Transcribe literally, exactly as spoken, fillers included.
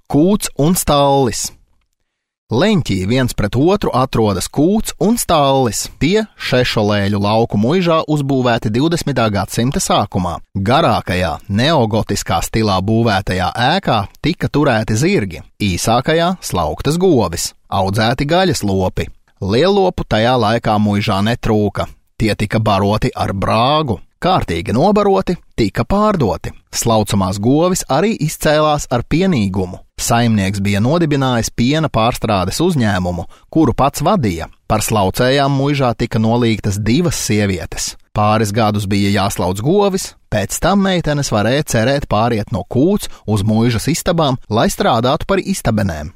Kūts un stallis. Leņķī viens pret otru atrodas kūts un stallis. Tie Šešolēļu lauku muižā uzbūvēti divdesmitā gadsimta sākumā. Garākajā, neogotiskā stilā būvētajā ēkā tika turēti zirgi, īsākajā slauktas govis, audzēti gaļas lopi. Lielopu tajā laikā muižā netrūka. Tie tika baroti ar brāgu. Kārtīgi nobaroti, tika pārdoti. Slaucamās govis arī izcēlās ar pienīgumu. Saimnieks bija nodibinājis piena pārstrādes uzņēmumu, kuru pats vadīja. Par slaucējām muižā tika nolīgtas divas sievietes. Pāris gadus bija jāslauc govis, pēc tam meitenes varēja cerēt pāriet no kūts uz muižas istabām, lai strādātu par istabenēm.